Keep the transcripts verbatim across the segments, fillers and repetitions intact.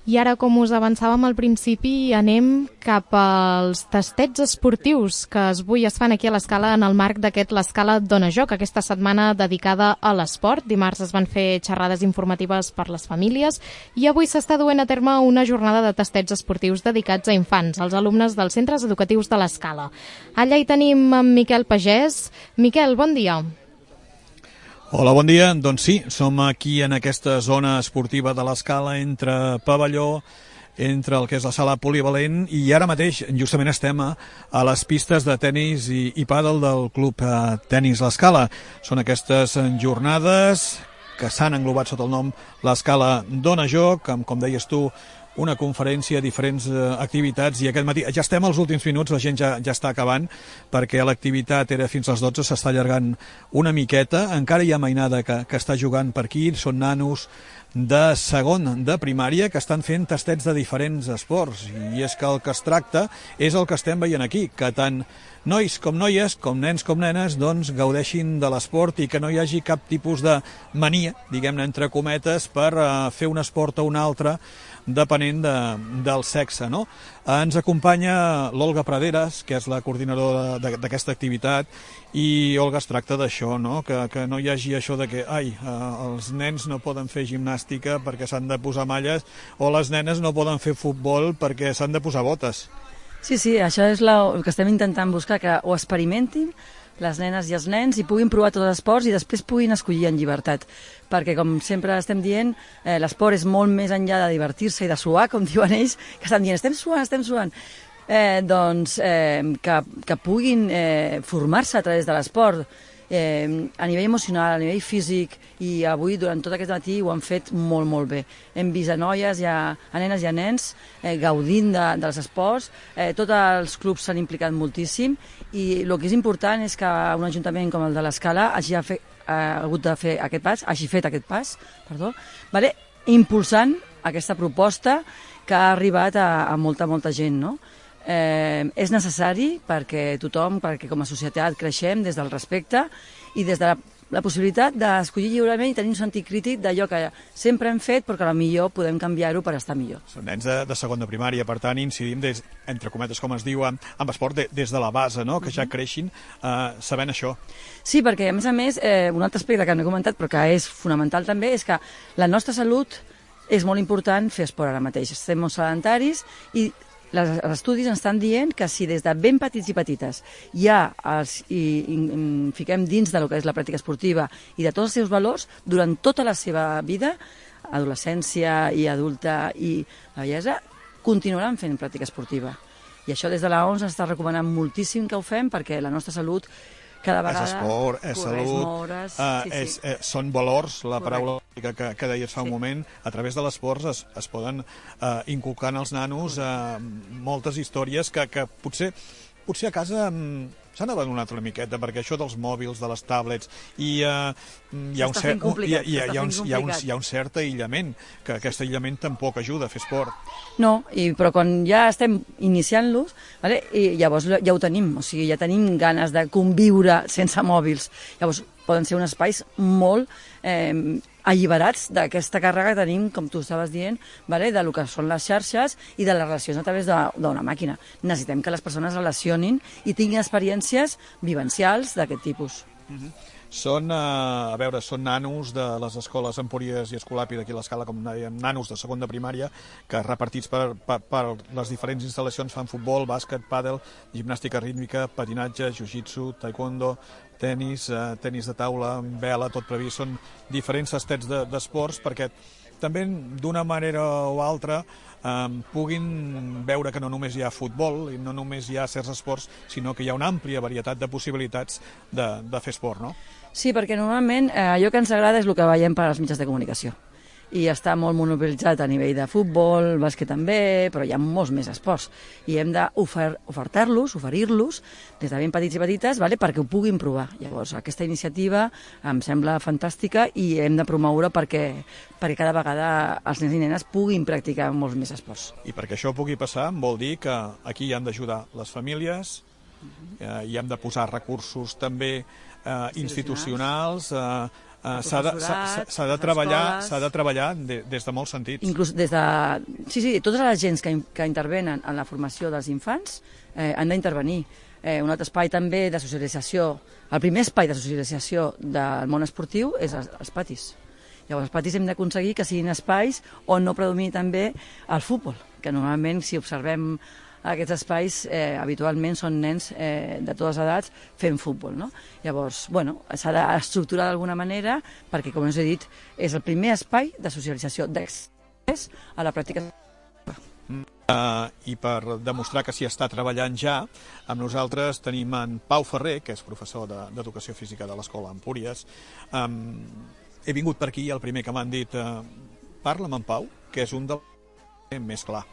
I ara, com us avançàvem al principi, anem cap als tastets esportius que avui es fan aquí a l'Escala en el marc d'aquest l'Escala Dona Joc, aquesta setmana dedicada a l'esport. Dimarts es van fer xerrades informatives per les famílies i avui s'està duent a terme una jornada de tastets esportius dedicats a infants, als alumnes dels centres educatius de l'Escala. Allà hi tenim en Miquel Pagès. Miquel, bon dia. Hola, bon dia. Doncs sí, som aquí en aquesta zona esportiva de l'Escala, entre pavelló, entre el que és la sala polivalent, i ara mateix justament estem a, a les pistes de tenis i, i pàdel del club eh, Tenis l'Escala. Són aquestes jornades que s'han englobat sota el nom l'Escala Dona Joc, amb, com deies tu, una conferència, diferents eh, activitats, i aquest matí ja estem als últims minuts, la gent ja, ja està acabant, perquè l'activitat era fins a les dotze, s'està allargant una miqueta, encara hi ha mainada que, que està jugant per aquí, són nanos de segon de primària que estan fent tastets de diferents esports, i és que el que es tracta és el que estem veient aquí, que tant nois com noies, com nens com nenes, doncs gaudeixin de l'esport i que no hi hagi cap tipus de mania, diguem-ne entre cometes, per uh, fer un esport o un altre, depenent de, del sexe, no? Ens acompanya l'Olga Praderas, que és la coordinadora d'aquesta activitat, i Olga, es tracta d'això, no? Que, que no hi hagi això de que, ai, eh, els nens no poden fer gimnàstica perquè s'han de posar malles, o les nenes no poden fer futbol perquè s'han de posar botes. Sí, sí, això és la, el que estem intentant buscar, que ho experimentin les nenes i els nens i puguin provar tots els esports i després puguin escollir en llibertat. Perquè, com sempre estem dient, eh, l'esport és molt més enllà de divertir-se i de suar, com diuen ells, que estan dient, estem suant, estem suant. Eh, doncs, eh, que, que puguin eh, formar-se a través de l'esport, eh, a nivell emocional, a nivell físic, i avui, durant tot aquest matí, ho han fet molt, molt bé. Hem vist a noies, i a, a nenes i a nens eh, gaudint de, dels esports, eh, tots els clubs s'han implicat moltíssim, i el que és important és que un ajuntament com el de l'Escala hagi fet, ha hagut de fer aquest pas, hagi fet aquest pas, perdó, vale? Impulsant aquesta proposta que ha arribat a, a molta, molta gent, no? Eh, és necessari perquè tothom, perquè com a societat creixem des del respecte i des de la, la possibilitat d'escollir lliurement i tenir un sentit crític d'allò que sempre hem fet, però que potser podem canviar-ho per estar millor. Són nens de, de segon de primària, per tant incidim des, entre cometes, com es diu, amb, amb esport de, des de la base, no? Que ja creixin eh, sabent això. Sí, perquè a més a més, eh, un altre aspecte que no he comentat però que és fonamental també és que la nostra salut és molt important fer esport ara mateix. Estem molt sedentaris i els estudis ens estan dient que si des de ben petits i petites ja els i, i, i fiquem dins de lo que és la pràctica esportiva i de tots els seus valors, durant tota la seva vida, adolescència i adulta i la vellesa, continuaran fent pràctica esportiva. I això des de l'O M S s'està recomanant moltíssim que ho fem perquè la nostra salut cada vegada... És esport, és salut, moure's, uh, sí, és, sí. eh, són valors, la Correcte. paraula que, que deies fa un Sí. moment, a través de l'esport es, es poden uh, inculcar als nanos uh, moltes històries que, que potser, potser a casa um, s'han abandonat una miqueta, perquè això dels mòbils, de les tablets, i uh, hi, ha un cert, hi, ha, hi, ha, hi, ha un, hi, ha un, hi ha un cert aïllament, que aquest aïllament tampoc ajuda a fer esport. No, i, però quan ja estem iniciant-los, vale, i llavors ja ho tenim, o sigui, ja tenim ganes de conviure sense mòbils. Llavors poden ser uns espais molt eh, alliberats d'aquesta càrrega que tenim, com tu estaves dient, vale, de lo que són les xarxes i de les relacions a través d'una màquina. Necessitem que les persones relacionin i tinguin experiències vivencials d'aquest tipus. Mm-hmm. Són, eh, a veure, són nanos de les escoles Empúries i Escolapi d'aquí a l'Escala, com dèiem, nanos de segon de primària, que repartits per, per, per les diferents instal·lacions fan futbol, bàsquet, pàdel, gimnàstica rítmica, patinatge, jiu-jitsu, taekwondo, tenis, eh, tenis de taula, vela, tot previst. Són diferents tastets d'esports perquè també d'una manera o altra eh, puguin veure que no només hi ha futbol i no només hi ha certs esports, sinó que hi ha una àmplia varietat de possibilitats de, de fer esport, no? Sí, perquè normalment eh, allò que ens agrada és el que veiem per als mitjans de comunicació. I està molt monopolitzat a nivell de futbol, bàsquet també, però hi ha molts més esports. I hem d'ofertar-los, oferir-los, des de ben petits i petites, vale, perquè ho puguin provar. Llavors, aquesta iniciativa em sembla fantàstica i hem de promoure perquè, perquè cada vegada els nens i nenes puguin practicar molts més esports. I perquè això pugui passar vol dir que aquí hi han d'ajudar les famílies, eh, hi hem de posar recursos també eh, institucionals, eh, Uh, s'ha de, s'ha de treballar, s'ha de treballar de, des de molts sentits. Inclús des de... Sí, sí, totes les agents que, que intervenen en la formació dels infants eh, han d'intervenir. Eh, un altre espai també de socialització, el primer espai de socialització del món esportiu és els, els patis. Llavors, els patis hem d'aconseguir que siguin espais on no predomini també el futbol, que normalment, si observem aquests espais, eh, habitualment són nens eh, de totes edats fent futbol, no? Llavors, bueno, s'ha d'estructurar d'alguna manera perquè, com us he dit, és el primer espai de socialització d'accés a la pràctica. Uh, I per demostrar que s'hi està treballant ja, amb nosaltres tenim en Pau Ferrer, que és professor d'Educació Física de l'Escola Empúries. Um, he vingut per aquí, el primer que m'han dit, uh, parla amb en Pau, que és un dels més clar.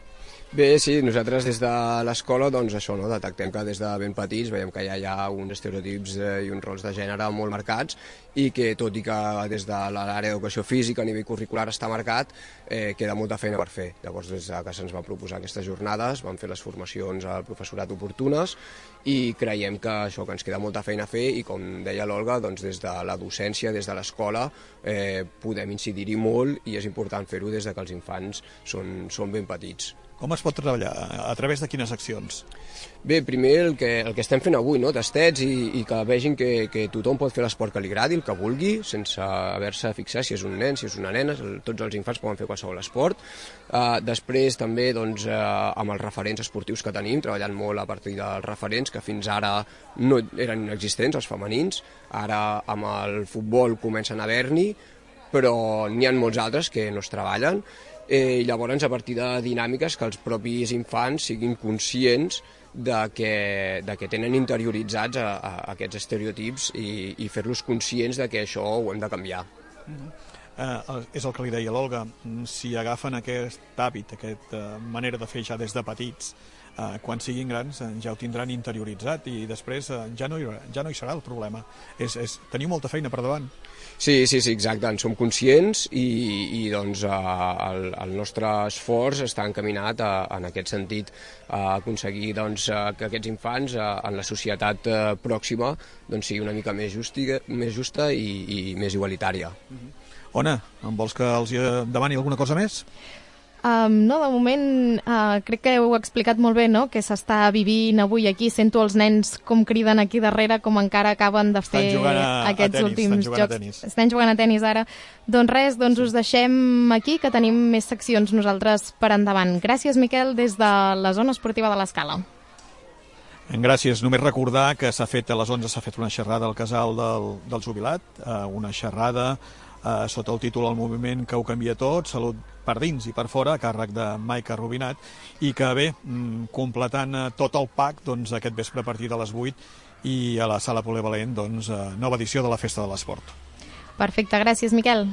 Bé, sí, nosaltres des de l'escola, doncs això, no? Detectem que des de ben petits veiem que ja hi ha uns estereotips i uns rols de gènere molt marcats i que, tot i que des de l'àrea d'educació física a nivell curricular està marcat, eh, queda molta feina per fer. Llavors, des que se'ns van proposar aquestes jornades, vam fer les formacions al professorat oportunes i creiem que això, que ens queda molta feina a fer i, com deia l'Olga, doncs des de la docència, des de l'escola, eh, podem incidir-hi molt i és important fer-ho des de que els infants són, són ben petits. Com es pot treballar? A través de quines accions? Bé, primer el que, el que estem fent avui, no? Tastets i, i que vegin que, que tothom pot fer l'esport que li agradi, el que vulgui, sense haver-se fixat si és un nen, si és una nena, tots els infants poden fer qualsevol esport. Uh, després també doncs, uh, amb els referents esportius que tenim, treballant molt a partir dels referents que fins ara no eren inexistents, els femenins, ara amb el futbol comencen a haver-n'hi, però n'hi ha molts altres que no es treballen. Eh, i llavors a partir de dinàmiques que els propis infants siguin conscients de que, de que tenen interioritzats a, a aquests estereotips i, i fer-los conscients de que això ho hem de canviar. Uh-huh. eh, és el que li deia l'Olga, si agafen aquest hàbit, aquesta manera de fer ja des de petits, eh, quan siguin grans eh, ja ho tindran interioritzat i després eh, ja, no hi, ja no hi serà el problema. És, és, teniu molta feina per davant. Sí, sí, sí, exacte, en som conscients i, i doncs, el, el nostre esforç està encaminat a, en aquest sentit a aconseguir doncs, que aquests infants en la societat pròxima doncs, sigui una mica més, justi, més justa i, i més igualitària. Uh-huh. Ona, em vols que els demani alguna cosa més? Um, no, de moment uh, crec que heu explicat molt bé, no?, que s'està vivint avui aquí. Sento els nens com criden aquí darrere, com encara acaben de fer a, aquests a tenis, últims estan jocs. A estan jugant a tenis ara. Doncs res, doncs us deixem aquí, que tenim més seccions nosaltres per endavant. Gràcies, Miquel, des de la zona esportiva de l'Escala. Gràcies. Només recordar que s'ha fet a les onze s'ha fet una xerrada al casal del, del jubilat, uh, una xerrada uh, sota el títol El moviment que ho canvia tot, salut per dins i per fora, a càrrec de Maica Rubinat, i que bé, completant tot el pack, doncs aquest vespre a partir de les vuit i a la sala polivalent, doncs, nova edició de la Festa de l'Esport. Perfecte, gràcies, Miquel.